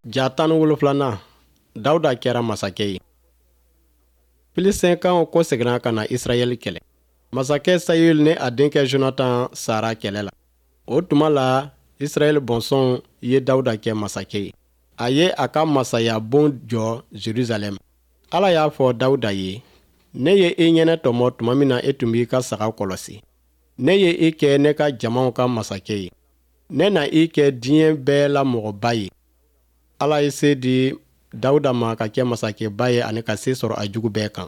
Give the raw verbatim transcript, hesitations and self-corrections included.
Ja tan ni wolonfilanan, Dawuda kɛra masakɛ ye. Filisɛnkaw kɔseginna ka na Israɛl kɛlɛ. Masakɛ Sayul ni a denkɛ Jonatan sara kɛlɛ la. O tuma la, Israɛl bɔnsɔnw ye Dawuda kɛ masakɛ ye. A ye a ka masayabon jɔ Jerusalɛm. Ala y'a fɔ Dawuda ye, Ne ye i ɲɛnatɔmɔ tuma min na e tun b'i ka sagaw kɔlɔsi. Ne ye i kɛ ne ka jamaw ka masakɛ ye. Ne na i kɛ diɲɛ bɛɛ la mɔgɔba ye. Ala ye se di Dawuda ma ka kɛ masakɛba ye ani ka se sɔrɔ a jugu bɛɛ kan.